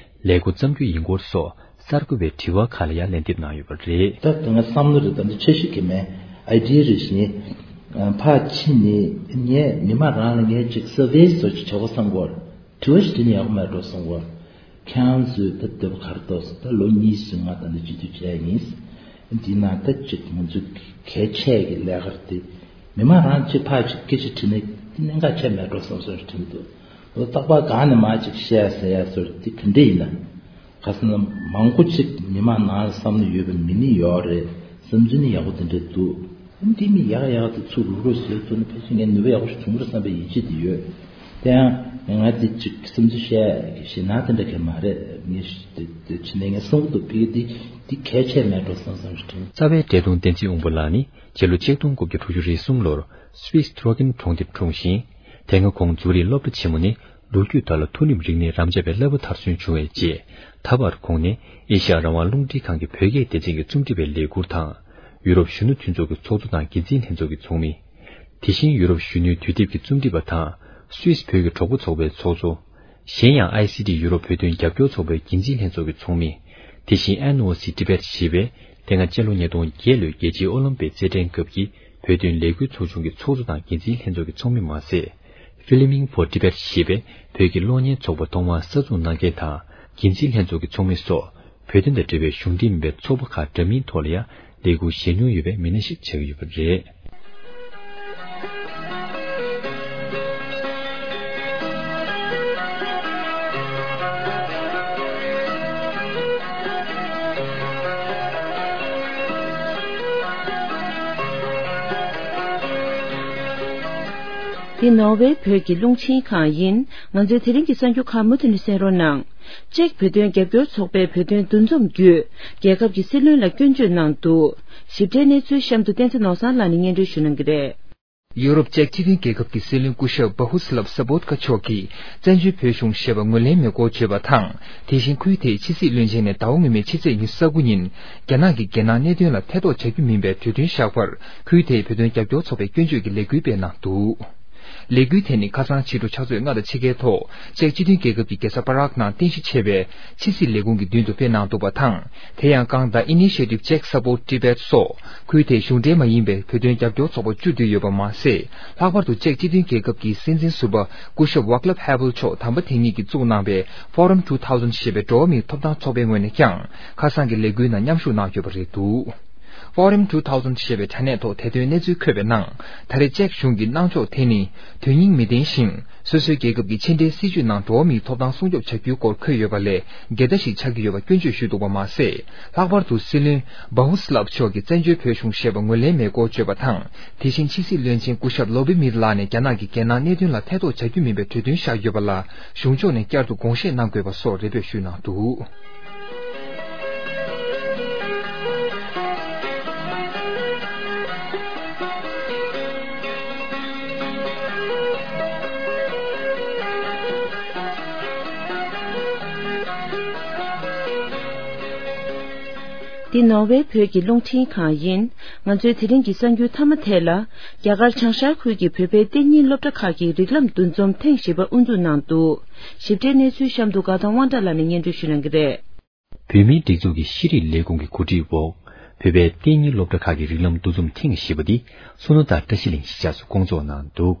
ལས་འགོ་བརྩམ་རྒྱུ་ཡིན་སྐོར་སོགས་གསར་འགོད་པའི་དྲི་བ་ཁག་ལ་ཡང་ལན་འདེབས་གནང་ཡོད་པ་རེད། ད་དེ་ང་བསམ་བློ་རེད། ད་འདི་འཆར་གཞི་གི་མེད་ཨའི་ཌི་ཡ་རེད་ཞེས་ཕར་ཕྱིན་ནས་ངས་མི་མང་རང་ལ་ངས་ཅིག་སར་ཝེ་བཟོ་ཅིག་བྱ་དགོས་བསམ་གོ། དྲི་བ་ཞིག་དྲིས་ན་ཡག་པོ་མེད་འགྲོ་བསམ་གོ། ཁྱེད་རང་ཚོས་ད་འདོད་པ་ག་རེ་འདུག་ད་ལོ་གཉིས་སུ་ང་ད་འདི་སྤྱི་འཐུས་བྱས་ཡིན། འདི་ན་ད་ཅིག་ང་ཚོ་གལ་ཆེ་གི་ལས་ཀ་རེད་དེ། མི་མང་རང་ཅིག་ཕར་ཅིག་སྐད་ཆ་དྲིས་ན་འདི་གནད་འགག་ཆེ་མེད་འགྲོ་བསམ་བསམ་ཞིག་དྲན་འདུག་ལོ་རྟག་པར་གང་ནས་མར་ཅིག་བཤད་ཟེར་ཡ་ཟེར་འདི་ག་འདྲ་ཡིན་ན། ག་ཟེར་ན་མང་པོ་ཅིག་མི་མང་ནང་ལ་བསམ་བློ་ཡོད་པའི་མི་ནི་ཡོད་རེད། བསམ་ཚུལ་ནི་ཡག་པོ་དེ་འདྲ་འདུག་འདི་མི་ཡག་ཡག་དེ་ཚུར་རུག་རུག་བཟོས་ཐུབ་ན་ཕལ་ཆེར་ངས་ནུས་པ་ཡག་པོ་ཞིག་བྱུང་རེད་བསམ་པའི་ཡིད་ཆེས་དེ་ཡོད། དེ་ཡང་ང་འདི་ཅིག་བསམ་ཚུལ་བཤད་ཞེད་སྣང་དེ་འདྲ་གས་མ་རེད། ངས་དེ་དེ་ཕྱི་ནས་ངས་གསུང་གི་འདུག་ཕ་གི་འདི་འདི་གལ་ཆེ་མེད་འགྲོ་བསམ་བསམ་ཞིག་དྲན། རྩ་བའི་བཀྲས་མཐོང་བསྟན་འཛིན་དབང་པོ་ལགས་ནི་སྤྱི་ལོ་ཆིག་སྟོང་དགུ་བརྒྱ་དྲུག་ཅུ་རེ་གསུམ་ལོར་སུད་སི་ཐུ་རོ་ཀིན་གྲོང་སྡེར་འཁྲུངས་ཤིང་། དེ་སྔ་ཁོང་འཛུ་རིག་སློབ་གྲྭ་ཆེན་མོ་ནས་ལོ་རྒྱུས་ཐོག་ལ་མཐོ་རིམ་རིག་གནས་རམ་འབྱམས་པའི་བསླབ་པ་མཐར་སོན་བྱུང་བའི་རྗེས། ད་བར་ཁོང་ནས་ཨེ་ཤ་ཡ་རང་དབང་རླུང་འཕྲིན་ཁང་གི་བོད་སྐད་སྡེ་ཚན་གྱི་རྩོམ་སྒྲིག་པའི་ལས་འཁུར་དང་། ཡུ་རོབ་གཞོན་ནུ་མཐུན་ཚོགས་ཀྱི་ཚོགས་གཙོ་དང་འགན་འཛིན་ལྷན་ཚོགས་ཀྱི་ཚོགས་མི། དེ་བཞིན་ཡུ་རོབ་གཞོན་ནུའི་དུས་དེབ་ཀྱི་རྩོམ་སྒྲིག་པ་དང་། སུད་སི་བོད་ཀྱི་གྲོགས་པོ་ཚོགས་པའི་ཚོགས་གཙོ། གཞན་ཡང་ཨའི་སི་ཊི་ཡུ་རོབ་བོད་དོན་རྒྱབ་སྐྱོར་ཚོགས་པའི་འགན་འཛིན་ལྷན་ཚོགས་ཀྱི་ཚོགས་མི། དེ་བཞིན་ཨེན་ཨོ་སི་ཊི་བེཊ་ཞེས་པའི་དེ་སྔ་སྤྱི་ལོ་ཉིས་སྟོང་བརྒྱད་ལོའི་རྒྱལ་སྤྱིའི་ཨོ་ལིམ་པིག་རྩེད་འགྲན་སྐབས་ཀྱི་བོད་དོན་ལས་འགུལ་ཚོགས་ཆུང་གི་ཚོགས་གཙོ་དང་འགན་འཛིན་ལྷན་ཚོགས་ཀྱི་ཚོགས་མི་མ་ཟད། Filming for Tibet ཞེས་པའི་བོད་ཀྱི་གློག་བརྙན་ཚོགས་པ་ཐོག་མར་གསར་འཛུགས་གནང་མཁན་དང་འགན་འཛིན་ལྷན་ཚོགས་ཀྱི་ཚོགས་མི་སོགས་བོད་དོན་དང་འབྲེལ་བའི་གཞུང་འབྲེལ་མིན་པའི་ཚོགས་པ་ཁག་འདྲ་མིན་ཐོག་ལ་ཡང་ལས་འགུལ་བཞེས་མྱོང་ཡོད་པའི་མི་སྣ་ཞིག་ཆགས་ཀྱི་ཡོད་པ་རེད། འདི་ནོར་ཝེ་བོད་ཀྱི་རླུང་འཕྲིན་ཁང་ཡིན། ང་ཚོའི་དེ་རིང་གི་གསར་འགྱུར་ཁག་མུ་མཐུད་ནས་གསན་རོགས་གནང་། ཅེཀ་བོད་དོན་རྒྱབ་སྐྱོར་ཚོགས་པའི་བོད་དོན་འདུ་འཛོམས་བརྒྱུད། རྒྱལ་ཁབ་ཀྱི་སྲིད་བློན་ལ་སྐྱོན་བརྗོད་གནང་འདུག་ཞིབ་ཕྲའི་གནས་ཚུལ་གཤམ་དུ་བསྟན་འཛིན་ནོར་བཟང་ལགས་ནས་སྙན་སྒྲོན་ཞུ་གནང་གི་རེད། ཡུ་རོབ་ཅེཀ་སྤྱི་མཐུན་རྒྱལ་ཁབ་ཀྱི་སྲིད་བློན་སྐུ་ཞབས་བྷ་ཧུ་སི་ལབ་ས་བོད་ཀ་མཆོག་གིས་བཙན་བྱོལ་བོད་གཞུང་ཞེས་པ་ངོས་ལེན་མེད་སྐོར་བརྗོད་པ་དང་། དེ་བཞིན་ཁུལ་དེའི་ཕྱི་སྲིད་བློན་ཆེན་ནས་ཟླ་བ་སྔོན་མའི་ཕྱི་ཚེས་ཉི་ཤུ་རྩ་དགུ་ཉིན་རྒྱ་ནག་གི་རྒྱལ་ནང་གནད་དོན་ལ་ཐེ་གཏོགས་བྱ་རྒྱུ་མིན་པའི་གྲོས་མཐུན་བཞག་པར་ཁུལ་དེའི་བོད་དོན་རྒྱབ་སྐྱོར་ཚོགས་པས་སྐྱོན་བརྗོད་ཀྱི་ལས་འགུལ་སྤེལ་གནང་འདུག་ལས་འགུལ་དེ་ནི་ཁ་སང་ཕྱི་དྲོ་ཕྱག་ཚོད་ལྔ་དང་ཕྱེད་ཀའི་ཐོག་ཅེཀ་སྤྱི་མཐུན་རྒྱལ་ཁབ་ཀྱི་རྒྱལ་ས་པ་རག་ནང་རྟེན་གཞི་བྱས་པའི་ཕྱི་སྲིད་ལས་ཁུངས་ཀྱི་མདུན་དུ་སྤེལ་གནང་འདུག་པ་དང་། དེ་ཡང་གང་ཟླ་Initiative Czech Support Tibet སོགས་ཁུལ་དེའི་གཞུང་འབྲེལ་མ་ཡིན་པའི་བོད་དོན་རྒྱབ་སྐྱོར་ཚོགས་པ་བཅུ་འདུས་ཡོད་པ་མ་ཟད། ལྷག་པར་དུ་ཅེཀ་སྤྱི་མཐུན་རྒྱལ་ཁབ་ཀྱི་སྲིད་འཛིན་ཟུར་པ་སྐུ་ཞབས་Václav Havel མཆོག་དམ་པ་དེ་ཉིད་ཀྱིས་བཙུགས་གནང་པའི་Forum two thousand ཞེས་པའི་འགྲོ་བ་མིའི་ཐོབ་ཐང་ཚོགས་པའི་ངོས་ནས་ཀྱང་ཁ་སང་གི་ལས་འགུལ་ནང་མཉམ་ཞུགས་གནང་ཡོད་པ་རེད་འདུག Forum two thousand ཞེས་པའི་དྲ་གནས་ཐོག་དེ་དོན་གནས་ཚུལ་འཁོད་པའི་ནང་། ད་རེས་ཅེཀ་གཞུང་གི་གནང་ཕྱོགས་དེ་ནི་དོན་སྙིང་མི་ལྡན་ཞིང་། སོ་སོའི་རྒྱལ་ཁབ་ཀྱི་ཕྱི་འབྲེལ་སྲིད་ཇུས་ནང་འགྲོ་བ་མིའི་ཐོབ་ཐང་སྲུང་སྐྱོབ་བྱ་རྒྱུའི་སྐོར་འཁོད་ཡོད་པ་ལས་འགལ་ཟླ་ཞིག་ཆགས་ཀྱི་ཡོད་པ་སྐྱོན་བརྗོད་ཞུས་འདུག་པ་མ་ཟད། ལྷག་པར་དུ་སྲིད་བློན་Bohuslav མཆོག་གིས་བཙན་བྱོལ་བོད་གཞུང་ཞེས་པ་ངོས་ལེན་མེད་སྐོར་བརྗོད་པ་དང་། དེ་བཞིན་ཕྱི་སྲིད་བློན་ཆེན་སྐུ་ཞབས་Lobimir ལགས་ནས་རྒྱ་ནག་གིས་རྒྱལ་ནང་གནད་དོན་ལ་ཐེ་གཏོགས་བྱ་རྒྱུ་མིན་པའི་གྲོས་མཐུན་བཞག་ཡོད་པ་ལ་གཞུང་ཕྱོགས་ནས་བསྐྱར་དུ་དགོངས་བཞེས་གནང་དགོས་པ་སོགས་རེ་འབོད་ཞུས་གནང་འདུག་འདི་ནོར་ཝེ་བོད་ཀྱི་རླུང་འཕྲིན་ཁང་ཡིན། ང་ཚོའི་དེ་རིང་གི་གསར་འགྱུར་མཐའ་མ་དེ་ལ། རྒྱ་གར་བྱང་ཤར་ཁུལ་གྱི་བོད་པའི་གཏན་ཉིན་སློབ་གྲྭ་ཁག་གི་རིགས་ལམ་འདུ་འཛོམས་ཐེངས་བཞི་པ་དབུ་འཛུགས་གནང་འདུག་ཞིབ་ཕྲའི་གནས་ཚུལ་གཤམ་དུ་དགའ་ཐང་དབང་གྲགས་ལགས་ནས་སྙན་སྒྲོན་ཞུ་གནང་གི་རེད། བོད་མིའི་སྒྲིག་འཛུགས་ཀྱི་ཤེས་རིག་ལས་ཁུངས་ཀྱི་གོ་སྒྲིག་འོག་བོད་པའི་གཏན་ཉིན་སློབ་གྲྭ་ཁག་གི་རིགས་ལམ་འདུ་འཛོམས་ཐེངས་བཞི་པ་འདི་སོ་ནོ་དང་བཀྲ་ཤིས་གླིང་གཞིས་ཆགས་སུ་སྐོང་ཚོགས་གནང་འདུག་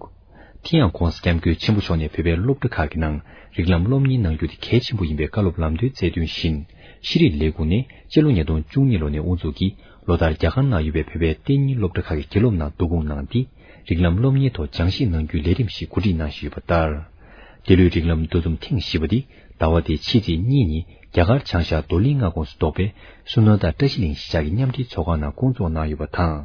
དེ་ཡང་༧གོང་ས་༧སྐྱབས་མགོན་ཆེན་པོ་མཆོག་ནས་བོད་པའི་སློབ་གྲྭ་ཁག་གི་ནང་རིགས་ལམ་སློབ་གཉེར་གནང་རྒྱུ་དེ་གལ་ཆེན་པོ་ཡིན་པའི་བཀའ་སློབ་ལམ་སྟོན་སྩལ་དོན་བཞིན། ཤེས་རིག་ལས་ཁུངས་ནས་སྤྱི་ལོ་ཉིས་སྟོང་བཅུ་གཉིས་ལོ་ནས་དབུ་འཛུགས་ཀྱིས་ལོ་ལྟར་རྒྱ་གར་ནང་ཡོད་པའི་བོད་པའི་གཏན་ཉིན་སློབ་གྲྭ་ཁག་གི་དགེ་སློབ་རྣམས་བསྡུ་སྐོང་གནང་སྟེ། རིགས་ལམ་སློབ་གཉེར་ཐོག་སྦྱང་ཤེས་གནང་རྒྱུའི་ལས་རིམ་ཞིག་གོ་སྒྲིག་གནང་བཞིན་ཡོད་པ་ལྟར། འདི་ལོའི་རིགས་ལམ་འདུ་འཛོམས་ཐེངས་བཞི་པ་འདི་ཟླ་བ་འདིའི་ཕྱི་ཚེས་གཉིས་ཉིན་རྒྱ་གར་བྱང་ཤར་རྡོར་གླིང་མངའ་ཁོངས་སུ་གཏོགས་པའི་སོ་ནོ་དང་བཀྲ་ཤིས་གླིང་གཞིས་ཆགས་ཀྱི་མཉམ་འབྲེལ་ཚོགས་ཁང་ནང་སྐོང་ཚོགས་གནང་ཡོད་པ་དང་།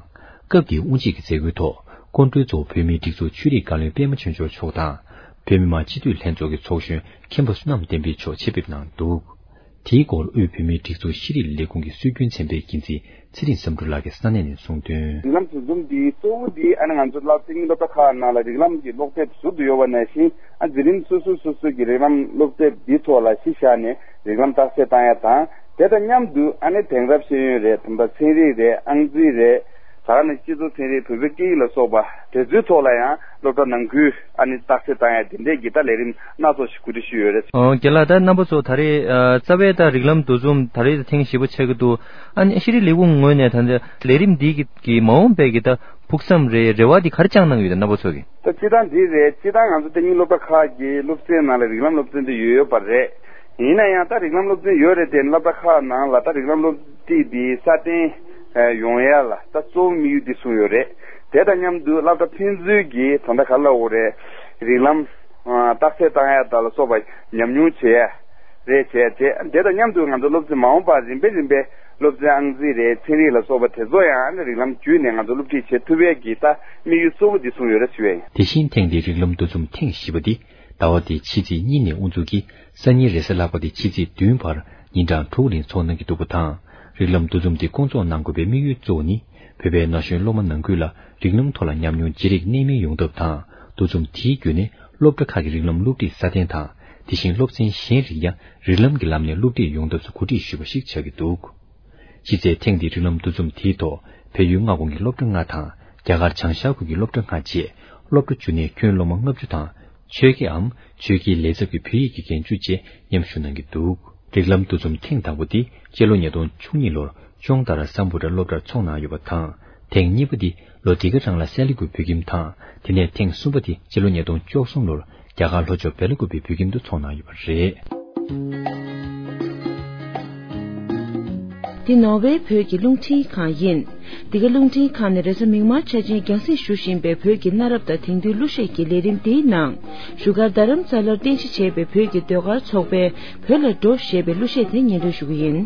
སྐབས་དེའི་དབུ་འབྱེད་ཀྱི་མཛད་སྒོའི་ཐོག་སྐུ་མགྲོན་གཙོ་བོ་བོད་མིའི་སྒྲིག་འཛུགས་ཆོས་རིག་བཀའ་བློན་པད་མ་ཆོས་འབྱོར་མཆོག་དང་། བོད་མི་མང་སྤྱི་འཐུས་ལྷན་ཚོགས་ཀྱི་ཚོགས་གཞོན་མཁན་པོ་བསོད་ནམས་བསྟན་འཕེལ་མཆོག་ཆེད་ཕེབས་གནང་འདུག་དེའི་སྐོར་དབུས་བོད་མིའི་སྒྲིག་འཛུགས་ཤེས་རིག་ལས་ཁུངས་ཀྱི་སྲོལ་རྒྱུན་ཚན་པའི་འགན་འཛིན་ཚེ་རིང་བསམ་གྲུབ་ལགས་ཀྱིས་ས་གནས་ནས་གསུངས་དོན། རིགས་ལམ་འདུ་འཛོམས་འདིའི་གཙོ་བོ་འདི་ཨ་ནི་ང་ཚོ་སློབ་གྲྭའི་སློབ་གྲྭ་ཁག་ནང་ལ་རིགས་ལམ་གྱི་སློབ་དེབ་ཟུར་དུ་ཡོད་པ་ནང་བཞིན། ཨ་འཛིན་རིམ་སོ་སོ་སོ་སོ་གི་རིགས་ལམ་སློབ་དེབ་འདིའི་ཐོག་ལ་གཞི་བཞག་ནས་རིགས་ལམ་རྟགས་གསལ་བཏང་ཡ་དང་། དེ་དང་མཉམ་དུ་ཨ་ནི་དེང་རབས་ཤེས་ཡོན་རེད། ད་ལྟ་ཚན་རིག་རེད། ཨང་རྩིས་རེད། ད་ག་ནང་སྤྱི་ཚོགས་ཚན་རིག་བོད་པའི་སྐད་ཡིག་ལ་སོགས་པ་དེ་ཚོའི་ཐོག་ལ་ཡང་སློབ་གྲྭ་ནང་ཁུལ་ཨ་ནི་རྟགས་གསལ་བཏང་ཡ་དེ་འདྲས་ཀྱི་ད་ལས་རིམ་སྣ་ཚོགས་ཤིག་གོ་སྒྲིག་ཞུས་ཡོད་རེད། ཨོ་རྒན་ལགས། ད་རྣམ་པ་ཚོ་ད་རེས་ཨ་རྩ་བའི་ད་རིགས་ལམ་འདུ་འཛོམས་ད་རེས་ཐེངས་བཞི་པ་ཆགས་ཀྱི་འདུག་ཨ་ནི་ཤེས་རིག་ལས་ཁུངས་ངོས་ནས་ད་ལྟ་ལས་རིམ་འདི་གི་གི་མ་འོངས་པའི་གི་ད་ཕུགས་བསམ་རེད། རེ་བ་འདི་ག་རེ་བཅངས་གནང་གི་ཡོད་ད་རྣམ་པ་ཚོ་གི། ད་སྤྱིར་བཏང་འདི་རེད། སྤྱིར་བཏང་ང་ཚོ་གཏན་ཉིན་སློབ་གྲྭ་ཁག་གི་སློབ་ཚན་ནང་ལ་རིགས་ལམ་སློབ་ཚན་དེ་ཡོད་ཡོད་པ་རེད། ཡིན་ན་ཡང་ད་རིགས་ལམ་སློབ་ཚན་ཡོད་རེད་དེ་སློབ་གྲྭ་ཁག་ནང་ལ་ད་རིགས་ལམ་སློབ་ཁྲིད་འདི་སྲ་བརྟན་ཡོང་ཡ་ལ་ད་གཙོ་བོ་དམིགས་ཡུལ་འདི་བཟུང་ཡོད་རེད། དེ་དང་མཉམ་དུ་སློབ་གྲྭ་ཕན་ཚུན་གྱི་ད་ལྟ་ག་རེ་ལབ་དགོས་རེད། རིགས་ལམ་རྟགས་གསལ་བཏང་ཡ་ད་ལ་སོགས་པ་ཉམས་མྱོང་བྱེད་ཡ་རེད། བྱས་རྗེས་དེ་དང་མཉམ་དུ་ང་ཚོ་སློབ་ཚན་མ་འོངས་པར་རིམ་པས་རིམ་པས་སློབ་ཚན་ཨང་རྩིས་རེད། ཚན་རིག་ལ་སོགས་པ་དེ་ཚོ་ཡང་རིགས་ལམ་བརྒྱུད་ནས་ང་ཚོ་སློབ་ཁྲིད་བྱེད་ཐུབ་ཡས་ཀྱི་ད་དམིགས་ཡུལ་གཙོ་བོ་འདི་བཟུང་ཡོད་རེད་ཞུ་ཡས་ཡིན། དེ་བཞིན་ཐེངས་འདིའི་རིགས་ལམ་འདུ་འཛོམས་ཐེངས་བཞི་པ་འདི་ཟླ་བ་འདིའི་ཕྱི་ཚེས་གཉིས་ནས་དབུ་འཛུགས་ཀྱིས་སང་ཉིན་རེས་གཟའ་ལྷག་པ་སྟེ་ཕྱི་ཚེས་བདུན་བར་ཉིན་གྲངས་དྲུག་རིང་འཚོགས་གནང་གི་འདུག་པ་དང་། རིགས་ལམ་འདུ་འཛོམས་འདི་སྐོང་ཚོགས་གནང་དགོས་པའི་དམིགས་ཡུལ་གཙོ་བོ་ནི། བོད་པའི་ན་གཞོན་སློབ་མ་ནང་ཁུལ་ལ་རིགས་ལམ་ཐོག་ལ་ཉམས་མྱོང་བརྗེ་རེས་གནད་སྨིན་ཡོང་ཐབས་དང་། འདུ་འཛོམས་དེའི་བརྒྱུད་ནས་སློབ་གྲྭ་ཁག་གི་རིགས་ལམ་སློབ་ཁྲིད་སྲ་བརྟན་དང་། དེ་བཞིན་སློབ་ཚན་གཞན་རིགས་ཀྱང་རིགས་ལམ་གྱི་ལམ་ནས་སློབ་ཁྲིད་ཡོང་ཐབས་སུ་གོ་སྒྲིག་ཞུས་པ་ཞིག་ཆགས་ཀྱི་འདུག་གཞི་རྩའི་ཐེངས་འདིའི་རིགས་ལམ་འདུ་འཛོམས་དེའི་ཐོག་བལ་ཡུལ་མངའ་ཁོངས་ཀྱི་སློབ་གྲྭ་ལྔ་དང་རྒྱ་གར་བྱང་ཤར་ཁུལ་གྱི་སློབ་གྲྭ་ལྔ་བཅས་སློབ་གྲྭ་བཅུ་ནས་ཁྱོན་སློབ་མ་ལྔ་བཅུ་དང་ཆོས་དགེའམ་ཆོས་དགེའི་ལས་ཚབ་ཀྱི་བོད་ཡིག་གི་རྒན་བཅུ་བཅས་མཉམ་ཞུགས་གནང་གི་འདུག་རིགས་ལམ་འདུ་འཛོམས་ཐེངས་དང་པོ་འདི་སྤྱི་ལོ་ཉིས་སྟོང་བཅུ་གཉིས་ལོར་ཅོང་ཏ་ར་སམ་བྷོ་ཊ་སློབ་གྲྭར་འཚོགས་གནང་ཡོད་པ་དང་། ཐེངས་གཉིས་པ་འདི་ལོ་འདི་ག་རང་ལ་སེ་ལི་ཀུ་བོད་ཁྱིམ་དང་། དེ་ནས་ཐེངས་གསུམ་པ་འདི་སྤྱི་ལོ་ཉིས་སྟོང་བཅུ་གསུམ་ལོར་རྒྱ་གར་ལྷོ་ཕྱོགས་བེ་ལ་ཀུ་པའི་བོད་ཁྱིམ་དུ་འཚོགས་གནང་ཡོད་པ་རེད། འདི་ནོར་ཝེ་བོད་ཀྱི་རླུང་འཕྲིན་ཁང་ཡིན། འདི་ག་རླུང་འཕྲིན་ཁང་ནས་རེས་གཟའ་མིག་དམར་ཆ་ཆེན་རྒྱང་སྲིང་ཞུ་བཞིན་པའི་བོད་ཀྱི་གནའ་རབས་དང་དེང་དུས་གླུ་གཞས་ཀྱི་ལས་རིམ་འདིའི་ནང་། བཞུགས་སྒར་རྡ་རམ་ས་ལར་རྟེན་གཞི་བྱས་པའི་བོད་ཀྱི་ཟློས་གར་ཚོགས་པའི་བོད་ལ་འགྲོ་ཞེས་པའི་གླུ་གཞས་དེ་སྙན་སྒྲོན་ཞུ་གི་ཡིན།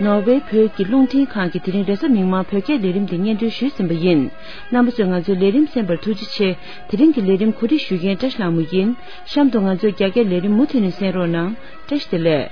ནོར་ཝེ་བོད་ཀྱི་རླུང་འཕྲིན་ཁང་གིས་དེ་རིང་རེས་གཟའ་མིག་དམར་བོད་སྐད་ལས་རིམ་དེ་སྙན་སྒྲོན་ཞུས་ཟིན་པ་ཡིན། རྣམ་པ་ཚོས་ང་ཚོའི་ལས་རིམ་གསན་པར་ཐུགས་རྗེ་ཆེ། དེ་རིང་གི་ལས་རིམ་གོ་སྒྲིག་ཞུ་མཁན་བཀྲ་ཤིས་ལྷ་མོ་ཡིན། གཤམ་དུ་ང་ཚོའི་རྒྱ་སྐད་ལས་རིམ་མུ་མཐུད་ནས་གསན་རོགས་གནང་། བཀྲ་ཤིས་བདེ་ལེགས།